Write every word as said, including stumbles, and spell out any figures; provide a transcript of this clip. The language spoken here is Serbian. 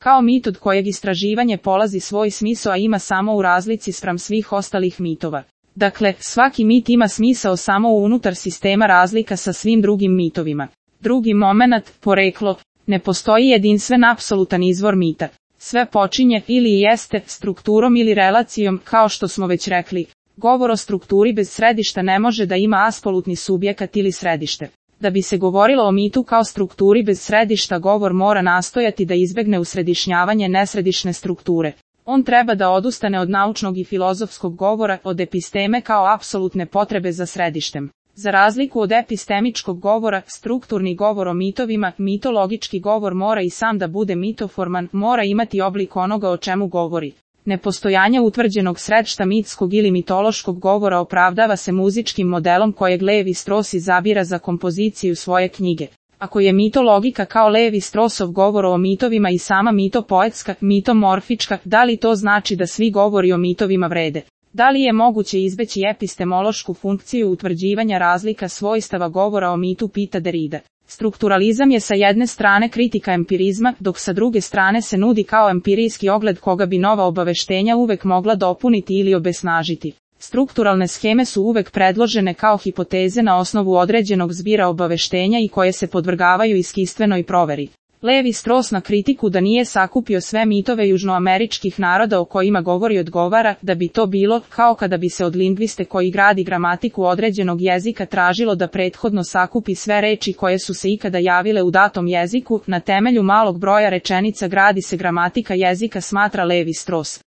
Kao mit od kojeg istraživanje polazi svoj smisao, a ima samo u razlici spram svih ostalih mitova. Dakle, svaki mit ima smisao samo unutar sistema razlika sa svim drugim mitovima. Drugi momenat, poreklo. Ne postoji jedinstven apsolutan izvor mita. Sve počinje ili jeste strukturom ili relacijom, kao što smo već rekli. Govor o strukturi bez središta ne može da ima apsolutni subjekat ili središte. Da bi se govorilo o mitu kao strukturi bez središta, govor mora nastojati da izbegne usredišnjavanje nesredišne strukture. On treba da odustane od naučnog i filozofskog govora, od episteme kao apsolutne potrebe za središtem. Za razliku od epistemičkog govora, strukturni govor o mitovima, mitologički govor mora i sam da bude mitoforman, mora imati oblik onoga o čemu govori. Nepostojanje utvrđenog središta mitskog ili mitološkog govora opravdava se muzičkim modelom kojeg Levi-Strauss izabira za kompoziciju svoje knjige. Ako je mitologika kao Levi-Straussov govor o mitovima i sama mitopoetska, mitomorfička, da li to znači da svi govori o mitovima vrede? Da li je moguće izbeći epistemološku funkciju utvrđivanja razlika svojstava govora o mitu, pita Derrida. Strukturalizam je sa jedne strane kritika empirizma, dok sa druge strane se nudi kao empirijski ogled koga bi nova obaveštenja uvek mogla dopuniti ili obesnažiti. Strukturalne sheme su uvek predložene kao hipoteze na osnovu određenog zbira obaveštenja i koje se podvrgavaju iskustvenoj proveri. Levi-Strauss na kritiku da nije sakupio sve mitove južnoameričkih naroda o kojima govori odgovara da bi to bilo kao kada bi se od lingviste koji gradi gramatiku određenog jezika tražilo da prethodno sakupi sve reči koje su se ikada javile u datom jeziku. Na temelju malog broja rečenica gradi se gramatika jezika, smatra Levi-Strauss.